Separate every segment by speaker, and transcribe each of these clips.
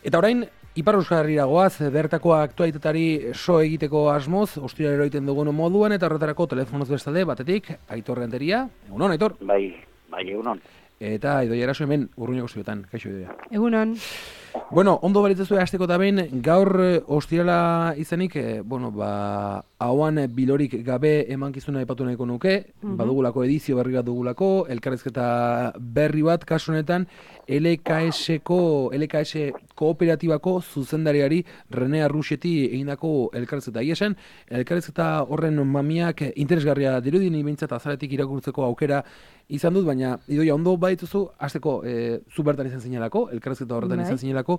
Speaker 1: Eta orain, Ipar Euskal Herrira goaz, bertako aktualitatari so egiteko asmoz, ostiralero egiten dugun moduan, eta horretarako telefonoz bestalde, batetik, Aitor Renteria. Egunon, Aitor?
Speaker 2: Bai, egunon.
Speaker 1: Eta Idoia Eraso hemen, Urruñako ziotan. Kaixo, Idoia.
Speaker 3: Egunon.
Speaker 1: Bueno, ondo balitzezu hasteko eta behin, gaur ostirala izanik, hauan bilorik gabe emankizuna aipatu nahiko nuke, badugulako edizio berri bat dugulako, elkarrizketa berri bat, kasu honetan, LKS kooperatibako zuzendariari Rene Arruxeti egindako elkarrizketa. Esan, elkarrizketa horren mamiak interesgarria dirudien ibintzat azaletik irakurtzeko aukera izan dut, baina Idoia, ondo badituzu, hasteko zu bertan izan zinelako, elkarrizketa horretan izan zinelako,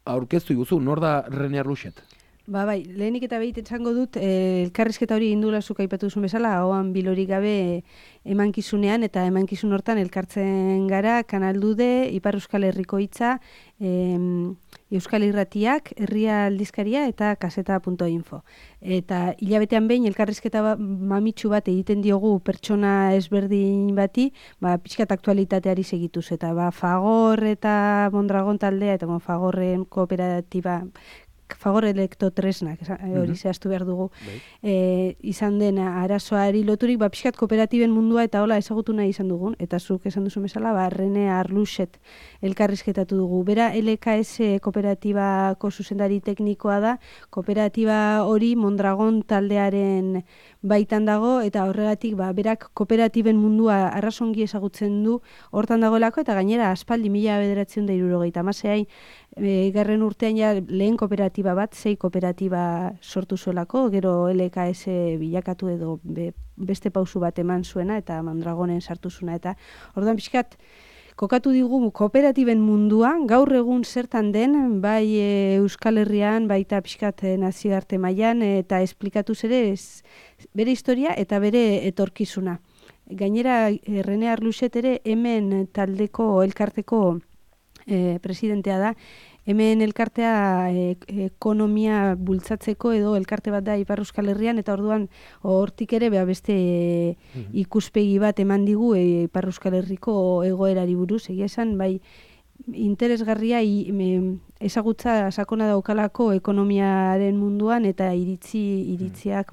Speaker 1: aurkeztu iguzu, nor da Rene Arruxet?
Speaker 3: Bai, lehenik eta behit esango dut, elkarrizketa hori indula zuk aipatu duzun bezala, hauan bilorik gabe emankizunean, eta emankizun hortan elkartzen gara, Kanaldude, Ipar Euskal Herriko Hitza, Euskal Irratiak, Herria Aldizkaria eta kaseta.info. Eta hilabetean behin elkarrizketa mamitsu bat egiten diogu pertsona ezberdin bati, pixkat aktualitateari segituz, eta Fagor eta Mondragon taldea, eta Fagorren kooperatiba, Fagor Elektrotresnak, hori zehaztu behar dugu, izan den arazoari loturik, pixkat kooperatiben mundua eta hola ezagutu nahi izan dugun, eta zuk esan duzu bezala, Rene Arruxet elkarrizketatu dugu. Bera LKS kooperatibako zuzendari teknikoa da, kooperatiba hori Mondragon taldearen baitan dago, eta horregatik berak kooperatiben mundua arrasongi ezagutzen du hortan dagoelako, eta gainera aspaldi 1970 garren urtean lehen kooperatiba bat, 6 kooperatiba sortu zuelako, gero LKS bilakatu edo beste pausu bat eman zuena, eta Mondragonen sartu zuena, eta orduan pixkat, kokatu digu kooperatiben munduan, gaur egun zertan den, bai Euskal Herrian, baita pixkat nazioarte mailan, eta esplikatuz ere bere historia eta bere etorkizuna. Gainera, Rene Arruxet ere hemen taldeko elkarteko presidentea da, hemen elkartea ekonomia bultzatzeko edo elkarte bat da Ipar Euskal Herrian, eta orduan hortik ere beste ikuspegi bat eman digu Ipar Euskal Herriko egoerari buruz, egia esan, bai interesgarria ezagutza sakona daukalako ekonomiaren munduan, eta iritziak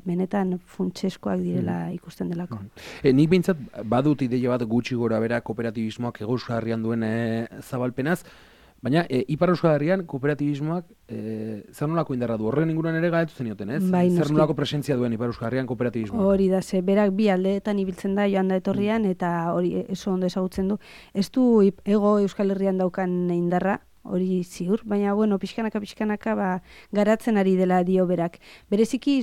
Speaker 3: benetan funtseskoak direla ikusten delako.
Speaker 1: Nik behintzat badut ideia bat gutxi gora bera kooperatibismoak Euskal Herrian duen zabalpenaz, baina Ipar Euskal Herrian kooperatibismoak zer nolako indarra du? Horren inguruan ere galetu zenioten, ez? Zer nolako presentzia duen Ipar Euskal Herrian kooperatibismoak?
Speaker 3: Hori da, berak bi aldeetan ibiltzen da joan da etorrian, eta hori oso ondo ezagutzen du. Ez du Hego Euskal Herrian daukan indarra, hori ziur, baina, pixkanaka garatzen ari dela dio berak. Bereziki,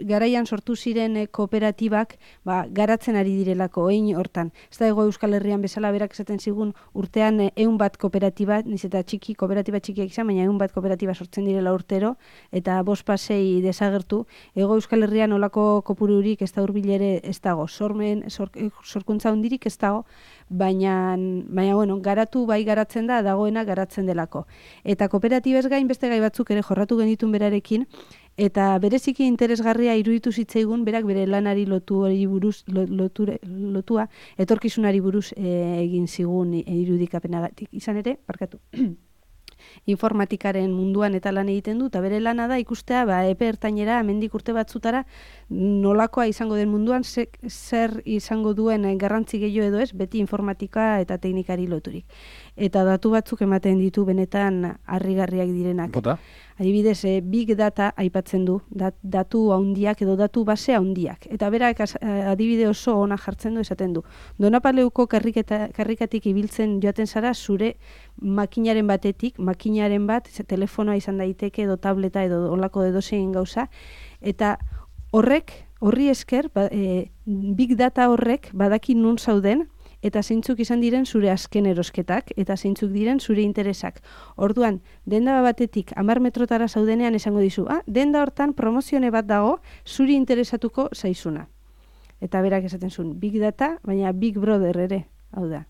Speaker 3: garaian sortu ziren kooperatibak garatzen ari direlako, egin hortan. Ez da Hego Euskal Herrian bezala berak esaten zigun urtean 100 bat kooperatiba, niz eta kooperatiba txikiak izan, baina 100 bat kooperatiba sortzen direla urtero, eta 5 pasei desagertu. Hego Euskal Herrian olako kopururik ez da hurbilere ez dago, sorkuntza hundirik ez dago, baina garatu garatzen da, dagoena garatzen delako. Eta kooperatibez gain beste gai batzuk ere jorratu genitun berarekin, eta bereziki interesgarria iruditu zitzaigun berak bere lanari lotua, etorkizunari buruz egin zigun irudikapenagatik. Izan ere, informatikaren munduan eta lan egiten du, eta bere lana da ikustea epe ertainera, hemendik urte batzutara, nolakoa izango den munduan, zer izango duen garrantzi gehiago edo ez, beti informatika eta teknikari loturik. Eta datu batzuk ematen ditu benetan harrigarriak direnak.
Speaker 1: Bota?
Speaker 3: Adibidez, Big Data aipatzen du, datu handiak edo datu base handiak. Eta berak adibide oso ona jartzen du, esaten du. Donapaleuko karrikatik ibiltzen joaten zara zure makinaren batetik, makinaren bat, telefonoa izan daiteke edo tableta edo olako edozein gauza, eta horri esker, Big Data horrek badaki nun zauden, eta zeintzuk izan diren zure azken erosketak, eta zeintzuk diren zure interesak. Orduan, denda batetik 10 metrotara zaudenean esango dizu, denda hortan promozione bat dago, zuri interesatuko zaizuna. Eta berak esaten zuen, Big Data, baina Big Brother ere, hau da.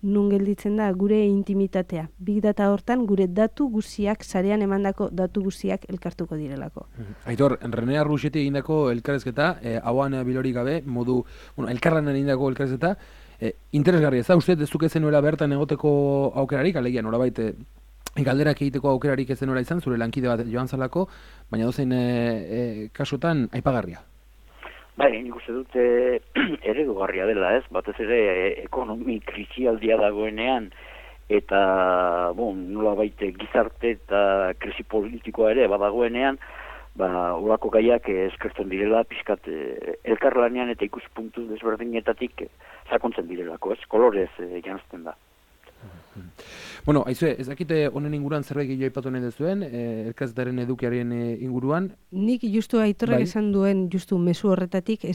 Speaker 3: Nun gelditzen da gure intimitatea. Big Data hortan gure datu guziak, sarean emandako datu guziak elkartuko direlako.
Speaker 1: Aitor, Rene Arruxeti egindako elkarrezketa, hauan bilorik gabe, elkarlanen egindako elkarrezketa, interesgarria ez da, uste, ez duke zenuela bertan egoteko aukerarik, alegia norabait galderak egiteko aukerarik ez denora izan, zure lankide bat joan zalako, baina dozein kasutan aipagarria.
Speaker 2: Bai, nik uste dute eredugarria dela, ez? Batez ere ekonomi krisialdia dagoenean, eta nolabait gizarte eta krisi politikoa ere badagoenean, olako gaiak eskertzen direla, pixkat elkarlanean eta ikuspuntu desberdinetatik sakontzen direlako, ez? Kolorez janzten da.
Speaker 1: Bueno, aizue, ez dakite honen inguruan zerbait gehiago aipatu nahi duzuen, elkarretaren edukiaren inguruan?
Speaker 3: Nik justu Aitorrek esan duen justu mezu horretatik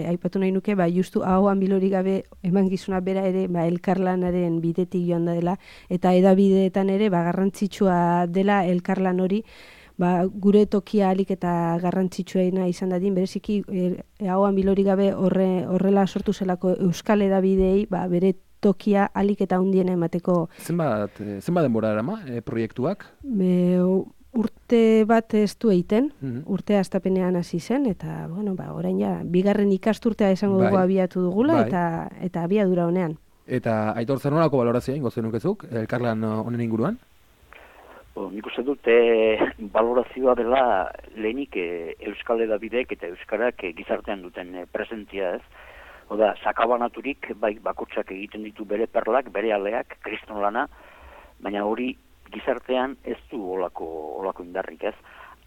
Speaker 3: aipatu nahi nuke, justu ahoan bilorik gabe emankizuna bera ere elkarlanaren bidetik joan da dela, eta hedabideetan ere garrantzitsua dela elkarlan hori, gure tokia alik eta garrantzitsuena izan dadin, bereziki ahoan bilorik gabe horrela sortu zelako euskal hedabidei, bere tokia alik eta hundiena emateko.
Speaker 1: Zenbat denbora erama proiektuak?
Speaker 3: Urte bat ez du egiten, urtea hastapenean hasi zen, eta orain bigarren ikasturtea esango dugu abiatu dugula, eta abiadura honean.
Speaker 1: Eta Aitor, zer nolako balorazioa ingo zenukezuk, elkarlan honen inguruan?
Speaker 2: Nik uste dute balorazioa dela lehenik euskal hedabidek eta euskarak gizartean duten presentzia, ez? Oda, sakabanaturik, bakotsak egiten ditu bere perlak, bere aleak, kriston lana, baina hori gizartean ez du olako indarrik, ez?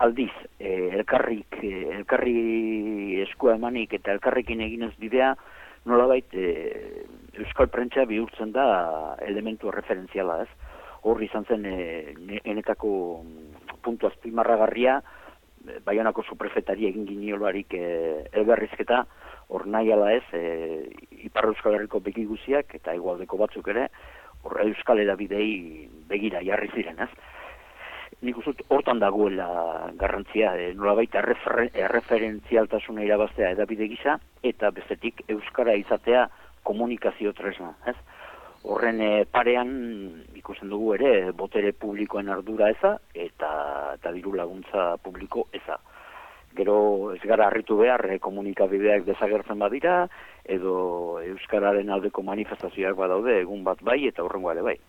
Speaker 2: Aldiz, elkarri eskua emanik eta elkarrekin eginez bidea, nolabait euskal prentsa bihurtzen da elementu referentziala, ez? Horri izan zen enetako puntu azpimarragarria, Baionako suprefetari egin giniolarik elberrizketa, hor nahi ala ez, Ipar Euskal Herriko begi guziak eta hegoaldeko batzuk ere, hor euskal hedabidei begira jarri ziren, ez? Nik uste hortan dagoela garrantzia, nolabait erreferentzialtasuna irabaztea hedabide gisa, eta bestetik euskara izatea komunikazio tresna, ez? Horren parean ikusten dugu ere botere publikoen ardura eza eta diru laguntza publiko eza. Gero ez gara harritu behar komunikabideak desagertzen badira edo euskararen aldeko manifestazioak badaude egun bat bai eta horrengo ere bai.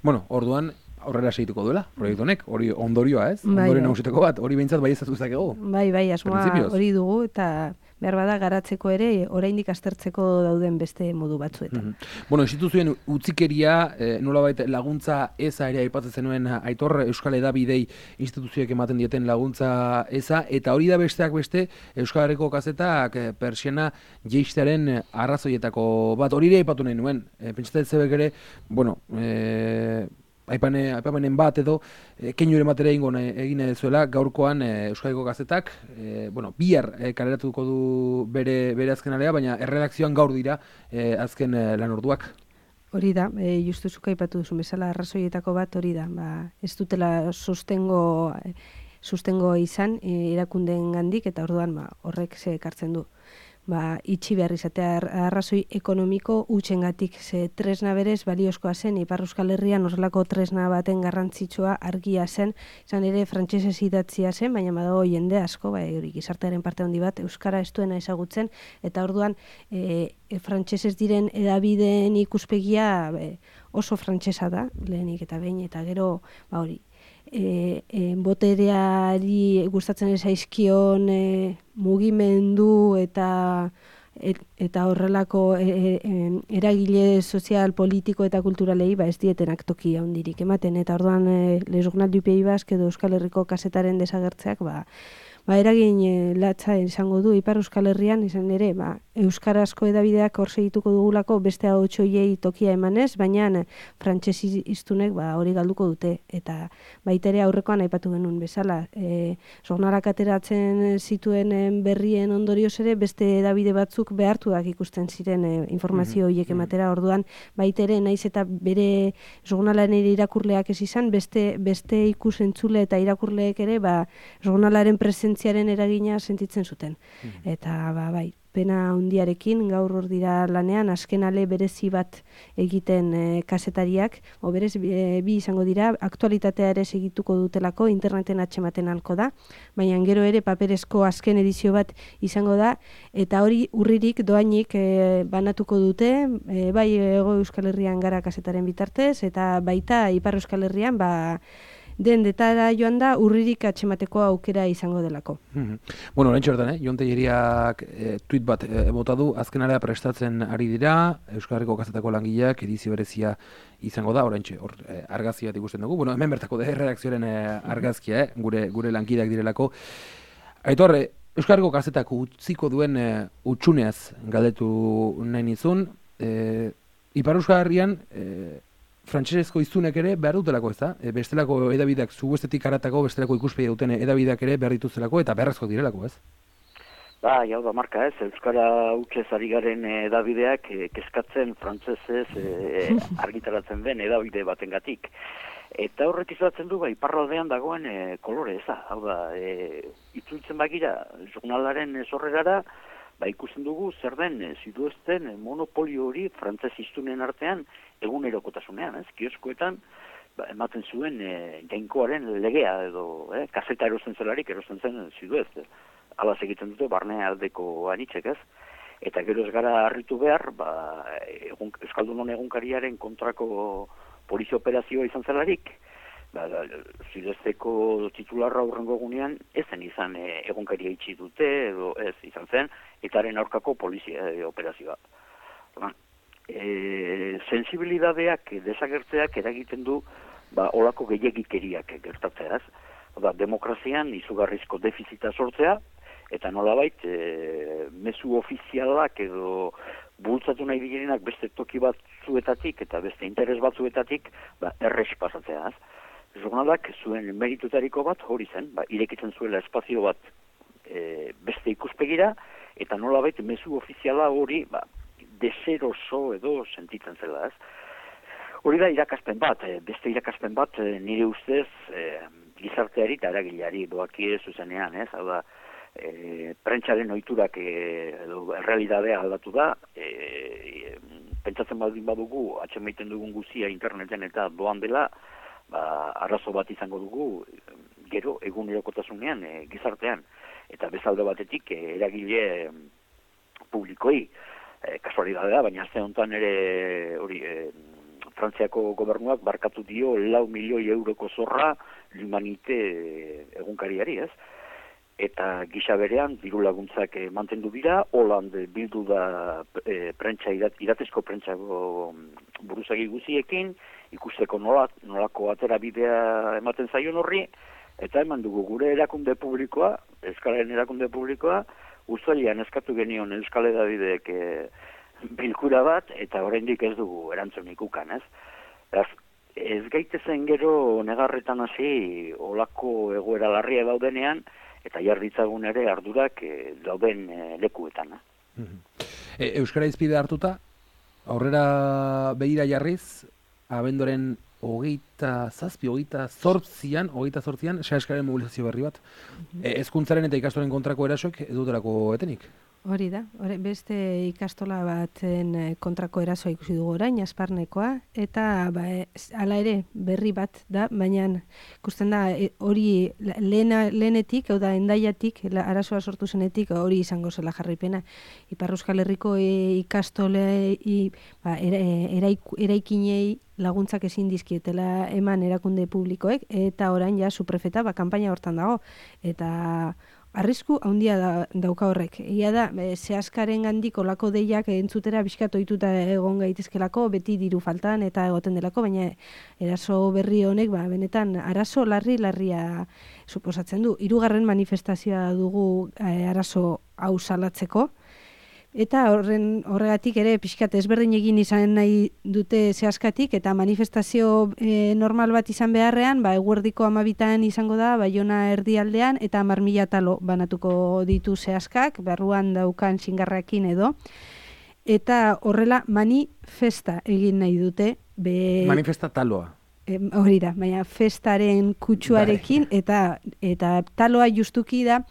Speaker 1: Bueno, orduan aurrera segituko duela, proiektu honek, hori ondorioa, ez? Ondoren nagusiteko bat, hori behintzat bai ezatu zakego.
Speaker 3: Bai, asmoa hori dugu eta behar bada garatzeko ere, oraindik aztertzeko dauden beste modu batzuetan.
Speaker 1: Bueno, instituzioen utzikeria, nolabait laguntza eza ere aipatzen zenuen Aitor, Euskal Hedabidei instituzioek ematen dieten laguntza eza, eta hori da besteak beste, Euskal Herriko kazetak persiana jeistearen arrazoietako bat, hori ere aipatu nahi nuen. Pentsatzen zebek ere, bueno, aipamenen bat edo keinu ere matera egin zuela gaurkoan Euskadiko gazetak bihar kaleratuko du bere azken alea, baina erredakzioan gaur dira azken lan orduak.
Speaker 3: Hori da, justu zuk aipatu duzu bezala arrazoietako bat hori da, ez dutela sustengo izan erakundeen gandik eta orduan horrek ze ekartzen du. Itxi behar izatea arrazoi ekonomiko utxengatik, ze tresna berez baliozkoa zen, Ipar Euskal Herrian horrelako tresna baten garrantzitsua argia zen, izan ere frantsesez idatzia zen, baina badago jende asko, hori gizartearen parte handi bat, euskara ez duena ezagutzen, eta orduan frantsesez diren hedabideen ikuspegia oso frantsesa da, lehenik eta behin, eta gero, hori, botereari gustatzen zaizkion mugimendu eta horrelako eragile sozial, politiko eta kulturalei ez dietenak toki handirik ematen, eta orduan Le Journal du Pays Basque edo Euskal Herriko kazetaren desagertzeak eragin latza izango du Ipar Euskal Herrian, izan ere, euskarazko hedabideak hor segituko dugulako beste ahotsoiei tokia emanez, baina frantsesi hiztunek hori galduko dute, eta baita ere aurrekoan aipatu genuen bezala, jornalak ateratzen zituen berrien ondorioz ere beste hedabide batzuk behartuak ikusten ziren informazio horiek ematera, orduan baita ere naiz eta bere jornalaren irakurleak ez izan, beste ikusentzule eta irakurleek ere jornalaren presentziaren eragina sentitzen zuten. Eta pena handiarekin, gaur hor dira lanean, azken ale berezi bat egiten kazetariak, berez bi izango dira, aktualitatea ere segituko dutelako, interneten atxematen halko da, baina gero ere paperezko azken edizio bat izango da, eta hori urririk doainik banatuko dute, bai Hego Euskal Herrian gara kazetaren bitartez, eta baita Ipar Euskal Herrian, den detara joan da urririk atxemateko aukera izango delako.
Speaker 1: Bueno, oraintxe bertan, Jon Telleriak tuit bat bota du, azkenalea prestatzen ari dira, Euskal Herriko kazetako langileak edizio berezia izango da, oraintxe hor argazki bat ikusten dugu. Bueno, hemen bertako erredakzioaren argazkia, gure lankideak direlako. Aitor, Euskal Herriko kazetak utziko duen utxuneaz galdetu nahi nizun, Ipar Euskal Herrian frantsesezko hiztunek ere behar dutelako, ez da? Bestelako edabideak, zuguestetik haratako bestelako ikuspegi duten edabideak ere behar dituztelako eta beharrezko direlako, ez?
Speaker 2: Jau da marka, ez? Euskara hutsez ari garen edabideak kezkatzen frantsesez argitaratzen den edabide batengatik. Eta horrek izatzen du, iparraldean dagoen kolore, ez da? Hau da, itzultzen bagira, jurnalaren sorrerara, ikusten dugu zer den ziduezten monopolio hori frantses hiztunen artean egunerokotasunean, ez? Kioskoetan ematen zuen jainkoaren legea edo kaseta erosten zelarik erosten zen ziduez. Hala egiten dute barne aldeko anitzek, ez? Eta gero ez gara harritu behar, Euskaldunon egunkariaren kontrako polizia operazioa izan zelarik, ziduezteko titularra hurrengo egunean ezen izan egunkaria itxi dute edo ez izan zen, etaren aurkako polizia operazioa. Sensibilidadeak desagertzeak eragiten du olako gehiagikeriak gertatzeaz. Demokrazian izugarrizko defizita sortzea, eta nolabait mezu ofizialak edo bultzatu nahi direnak beste toki batzuetatik eta beste interes batzuetatik errez pasatzeaz. Jurnalak zuen meritutariko bat hori zen, irekitzen zuela espazio bat beste ikuspegira, eta nolabait mezu ofiziala hori deseroso edo sentitzen zela, ez? Hori da irakaspen bat, beste irakaspen bat nire ustez gizarteari eta eragileari doakie zuzenean, ez? Hau da, prentsaren ohiturak edo errealitatea aldatu da, pentsatzen baldin badugu, atxemaiten dugun guzia interneten eta doan dela, arazo bat izango dugu gero egunerokotasunean gizartean, eta bezalde batetik eragile publikoi kasualidadea, baina azte honetan ere hori Frantziako gobernuak barkatu dio 4 milioi euroko zorra L'Humanité egunkariari, ez? Eta gisa berean diru laguntzak mantendu dira, Holand bildu da iratezko prentsako buruzagi guziekin, ikusteko nolako atera bidea ematen zaion horri, eta eman dugu gure erakunde publikoa, Euskalaren erakunde publikoa, uztailean eskatu genion Euskal Hedabideek bilkura bat, eta oraindik ez dugu erantzunik ukan, ez? Ez gaitezen gero negarretan hasi olako egoera larria daudenean, eta jarditzagun ere ardurak dauden lekuetan.
Speaker 1: Euskara izpide hartuta, aurrera begira jarriz, abendoren 28an, Seaskaren mobilizazio berri bat. Hezkuntzaren eta ikastolen kontrako erasoek dutelako etenik?
Speaker 3: Hori da, beste ikastola baten kontrako erasoa ikusi dugu orain, Asparnekoa, eta hala ere berri bat da, baina ikusten da hori lehenetik, hau da endaiatik, arazoa sortu zenetik hori izango zela jarraipena. Ipar Euskal Herriko ikastole eraikinei laguntzak ezin dizkietela eman erakunde publikoek, eta orain ja suprefeta kanpaina hortan dago, eta arrisku handia dauka horrek. Ia da, Seaskaren gandik olako deiak entzutera bizkat ohituta egon gaitezkelako, beti diru faltan eta egoten delako, baina eraso berri honek, benetan, arazo larria suposatzen du. 3. manifestazioa dugu arazo hau salatzeko, eta horregatik ere pixkat ezberdin egin izan nahi dute Seaskatik, eta manifestazio normal bat izan beharrean, eguerdiko 12 izango da, Baiona erdialdean, eta 10.000 talo banatuko ditu Seaskak, barruan daukan xingarrakin edo, eta horrela manifesta egin nahi dute.
Speaker 1: Manifesta taloa.
Speaker 3: Hori da, baina festaren kutsuarekin, eta taloa justuki da,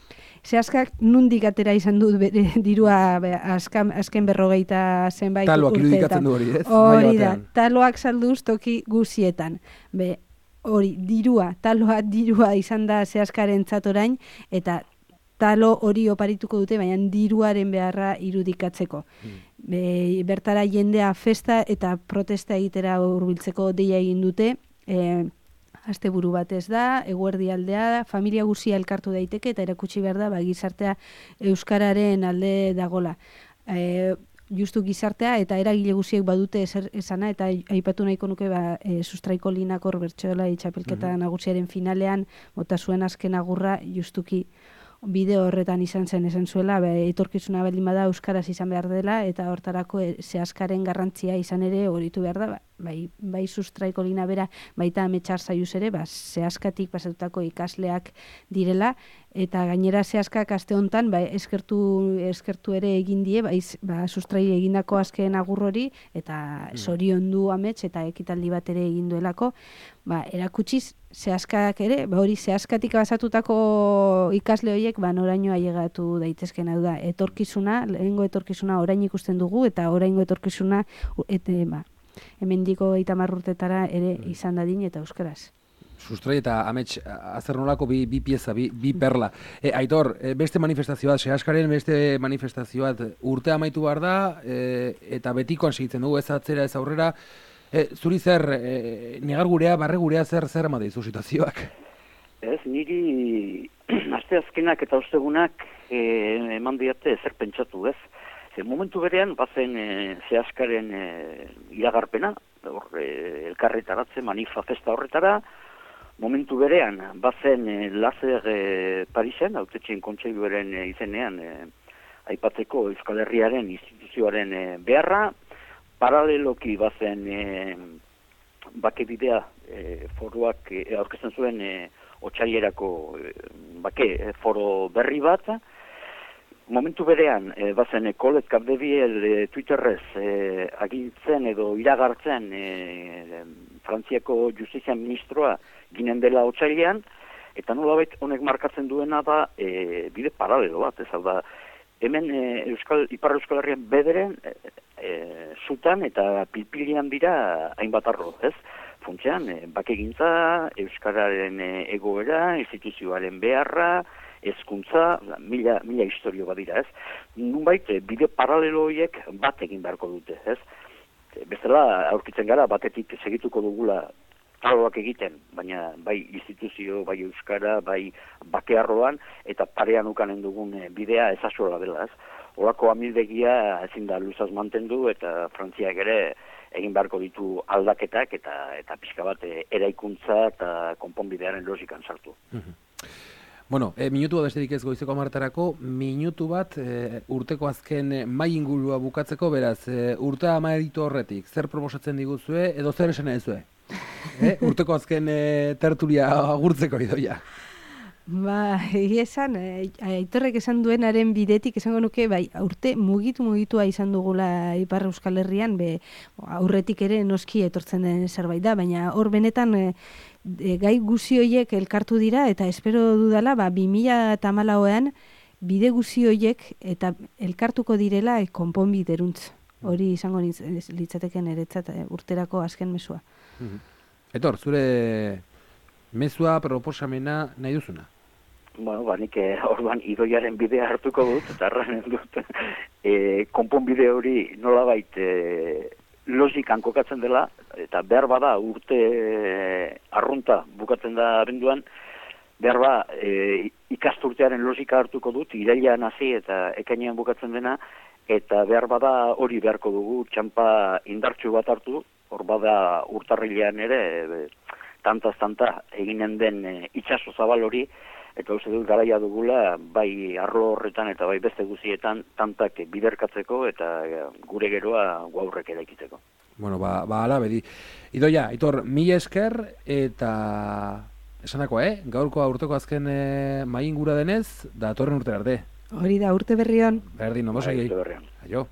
Speaker 3: Zehaskak nundik atera izan dut bere dirua azken 40 zenbait urteetan.
Speaker 1: Taloak irudikatzen du hori, ez?
Speaker 3: Hori da, taloak salduz toki guzietan. Hori, dirua izan da Zehaskarentzat orain, eta talo hori oparituko dute, baina diruaren beharra irudikatzeko. Bertara jendea festa eta protesta egitera hurbiltzeko deia egin dute, asteburu batez da, eguerdi aldea, familia guzia elkartu daiteke eta erakutsi behar da, gizartea euskararen alde dagola. Justu gizartea eta eragile guziek badute esana, eta aipatu nahiko nuke Sustraiko Linakor bertsolari txapelketa nagusiaren finalean bota zuen azken agurra justuki bideo horretan izan zen esan zuela, etorkizuna baldin bada euskaraz izan behar dela, eta hortarako Zehaskaren garrantzia izan ere horitu behar da, bai Sustraiko Lina bera, baita Ametsar Zaiuz ere, Zehaskatik pasatutako ikasleak direla, eta gainera Zehaskak aste honetan eskertu ere egin die, Sustrai egindako azken agur hori, eta zoriondu Amets eta ekitaldi bat ere egin duelako, erakutsiz Zehaskak ere, hori Zehaskatik pasatutako ikasle horiek noraino ailegatu daitezken, hau da, lehengo etorkizuna orain ikusten dugu, eta oraingo etorkizuna hemendiko 30 urtetara ere izan dadin eta euskaraz.
Speaker 1: Sustrai eta Amets azer nolako bi pieza, bi perla. Aitor, beste manifestazioa, Zehaskaren beste manifestazioa urte amaitu behar da, eta betikoan segitzen dugu, ez atzera, ez aurrera. Zuri zer, negar gurea, barre gurea zer emate izu situazioak?
Speaker 2: Ez, niri aste azkenak eta ostegunak eman diate zer pentsatu, ez? Momentu berean, bazen Zehaskaren iragarpena, elkarretaratzen, manifa festa horretara. Momentu berean, bazen Lazer Parisen, Hautetxeen Kontseiluaren izenean, aipatzeko Euskal Herriaren instituzioaren beharra. Paraleloki bazen bake bidea foroak aurkezten zuen otsailerako foro berri bat. Momentu berean, bazen Kolet Capdeviel Twitterrez agintzen edo iragartzen Frantziako Justizia Ministroa ginen dela otsailean, eta nolabait honek markatzen duena da bide paralelo bat, ez hau da, hemen Ipar Euskal Herrian bederen zutan eta pilpilian dira hainbat arlo, ez? Funtsean, bakegintza, euskararen egoera, instituzioaren beharra, hezkuntza, mila historio badira, ez? Nunbait, bide paralelo horiek bat egin beharko dute, ez? Bestela, aurkitzen gara, batetik segituko dugula taloak egiten, baina bai instituzio, bai euskara, bai bakearroan, eta parean ukanen dugun bidea ezazuela dela, ez? Horako amildegia ezin da luzaz mantendu, eta Frantziak ere egin beharko ditu aldaketak, eta pixka bat eraikuntza eta konponbidearen logikan sartu.
Speaker 1: Bueno, minutu bat besterik ez goizeko 10:00, minutu bat urteko azken mai ingurua bukatzeko, beraz, urtea amaitu horretik, zer proposatzen diguzue, edo zer esan ezue? Urteko azken tertulia agurtzeko Idoia.
Speaker 3: Esan, Aitorrek esan duenaren bidetik esango nuke, urte mugitua izan dugula Ipar Euskal Herrian, aurretik ere noski etortzen den zerbait da, baina hor benetan gai guzi horiek elkartu dira, eta espero dudala, 2014an bide guzi horiek eta elkartuko direla konponbideruntz. Hori izango litzateken eretzat urterako azken mezua.
Speaker 1: Aitor, zure mezua, proposamena nahi duzuna?
Speaker 2: Nik orduan Idoiaren bidea hartuko dut, eta arranen dut, konponbide hori nolabait logikan kokatzen dela, eta behar bada urte arrunta bukatzen da abenduan, behar ikasturtearen logika hartuko dut, irailean hasi eta ekainean bukatzen dena, eta behar bada hori beharko dugu, txampa indartsu bat hartu, hor bada urtarrilean ere, tantaz tanta eginen den itsaso zabal hori, eta uste dut garaia dugula, bai arlo horretan eta bai beste guzietan tantak biderkatzeko eta gure geroa gaurrek eraikitzeko.
Speaker 1: Bueno, ala bedi. Idoia, Aitor, mila esker eta esanako, gaurkoa urteko azken mai ingura denez, datorren urtera arte.
Speaker 3: Hori da, urte berrion.
Speaker 1: Berdin, nomos
Speaker 2: Urte berrion.
Speaker 1: Aio.